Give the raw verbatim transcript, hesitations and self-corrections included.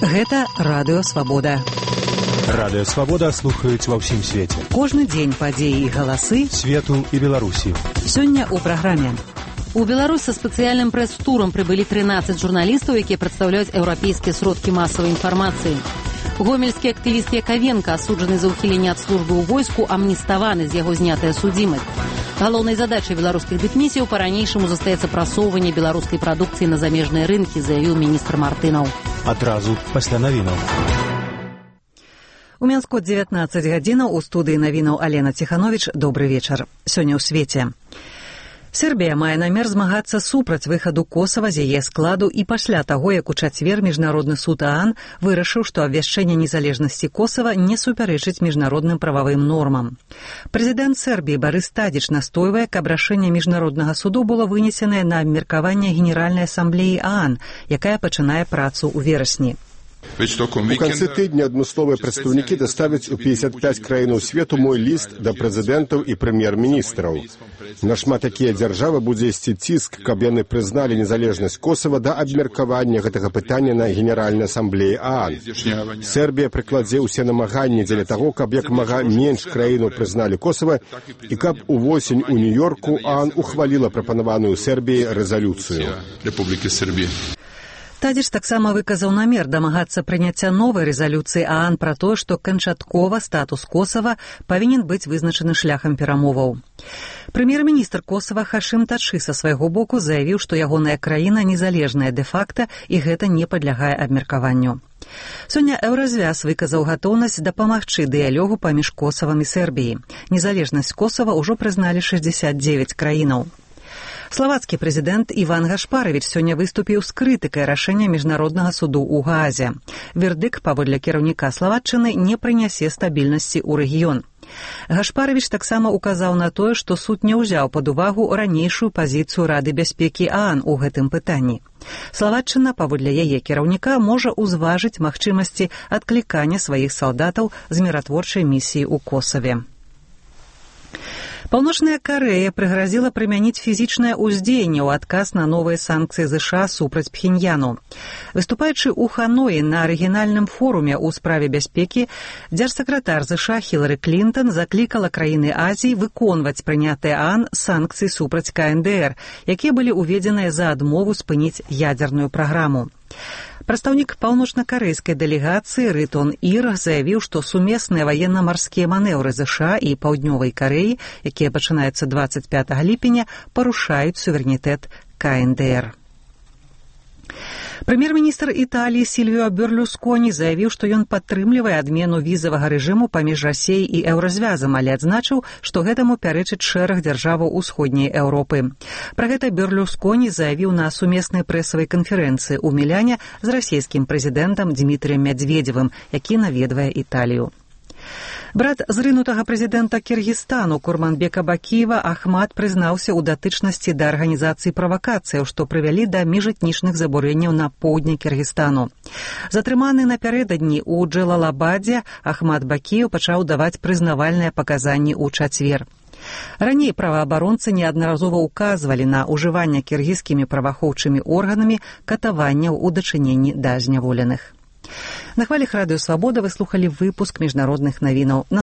Гэта Радыё Свабода. Радыё Свабода слухаюць ва ўсім свеце. Кожны дзень падзеі і галасы свету і Беларусі. Сёння ў праграме. У Беларусь са спецыяльным прэс-турам прыбылі трынаццаць журналістаў, якія прадстаўляюць еўрапейскія сродкі масавай інфармацыі. Гомельскі актывіст Яковенко, асуджаны за ўхіленне ад службы ў войску, амніставаны, з яго знятая судзімасць. Галоўнай задачай беларускіх дыпмісіяў па-ранейшаму застаецца прасоўванне беларускай прадукцыі на замежныя рынкі, заявіў міністр Мартынаў. Адразу пасля навінаў. У Мінску дзевятнаццаць гадзінаў, у студыі навінаў Алена Ціхановіч. Добры вечар. Сёння ў свеце. Сербія мае намер змагацца супраць выхаду Косава з яе складу і пасля таго, як у чацвер Міжнародны суд ААН вырашыў, што абвяшчэнне незалежнасці Косава не супярэчыць міжнародным прававым нормам. Прэзідэнт Сербіі Барыс Тадзіч настойвае, каб рашэнне Міжнароднага суду было вынесенае на абмеркаванне Генеральнай асамблеі ААН, якая пачынае працу ў верасні. У канцы тыдня адмысловыя прадстаўнікі даставяць у пятьдесят пять краінаў свету мой ліст да прэзідэнтаў і прэм'ер-міністраў. Нашмат такія дзяржавы будзе ісці ціск, каб яны прызналі незалежнасць Косава да абмеркавання гэтага пытання на Генеральнай асамблеі ААН. Сербія прыкладзе ўсе намаганні дзеля таго, каб як мага менш краінаў прызналі Косава і каб увосень у Нью-Йорку ААН ухваліла прапанаваную Сербіі рэзалюцыю. Тадзіч таксама выказаў намер дамагацца прыняцця новай рэзалюцыі ААН пра тое, што канчаткова статус Косава павінен быць вызначаны шляхам перамоваў. Прэм'ер-міністр Косава Хашым Тачы са свайго боку заявіў, што ягоная краіна незалежная дэ-факта і гэта не падлягае абмеркаванню. Сёння Еўразвяз выказаў гатоўнасць дапамагчы дыялогу паміж Косавам і Сербіяй. Незалежнасць Косава ўжо прызналі шэсцьдзесят дзевяць краінаў. Славацкі прэзідэнт Іван Гашпаравіч сёння выступіў з крытыкай рашэння Міжнароднага суду ў Гаазе. Вердыкт, паводле кіраўніка Славаччыны, не прынясе стабільнасці ў рэгіён. Гашпаравіч таксама указаў на тое, што суд не ўзяў пад увагу ранейшую пазіцыю Рады бяспекі ААН у гэтым пытанні. Славаччына, паводле яе кіраўніка, можа ўзважыць магчымасці адклікання сваіх салдатаў з міратворчай місіі ў Косаве. Паўночная Карэя прыгразіла прымяніць фізічнае ўздзеянне ў адказ на новыя санкцыі ЗША супраць Пхеньяну. Выступаючы ў Ханоі на арыгінальным форуме ў справе бяспекі, дзяржсакратар ЗША Хілары Клінтон заклікала краіны Азіі выконваць прынятыя ААН санкцыі супраць КНДР, якія былі ўведзеныя за адмову спыніць ядзерную праграму. Прадстаўнік паўночна-карэйскай дэлегацыі Рытон Ір заявіў, што сумесныя ваенна-марскія манеўры ЗША і Паўднёвай Карэі, якія пачынаюцца дваццаць пятага ліпеня, парушаюць суверэнітэт КНДР. Прэм'ер-міністр Італіі Сільвіо Берлусконі заявіў, што ён падтрымлівае адмену візавага рэжыму паміж Расіяй і Еўразвязам, але адзначыў, што гэтаму пярэчыць шэраг дзяржаваў усходняй Еўропы. Пра гэта Берлусконі заявіў на сумеснай прэсавай канферэнцыі ў Міляне з расійскім прэзідэнтам Дмітрыем Мядзведзевым, які наведвае Італію. Брат зрынутага прэзідэнта Кіргізстану Курманбека Бакіева Ахмад прызнаўся ў датычнасці да арганізацыі правакацыяў, што прывялі да міжэтнічных забурэнняў на поўдні Кіргізстану. Затрыманы напярэдадні ў Джэлалабадзе, Ахмад Бакіеў пачаў даваць прызнавальныя паказанні ў чацвер. Раней праваабаронцы неаднаразова ўказвалі на ўжыванне кіргізскімі праваахоўчымі органамі катаванняў у дачыненні да зняволеных. На хвалях Радыё Свабода вы слухалі выпуск міжнародных навінаў.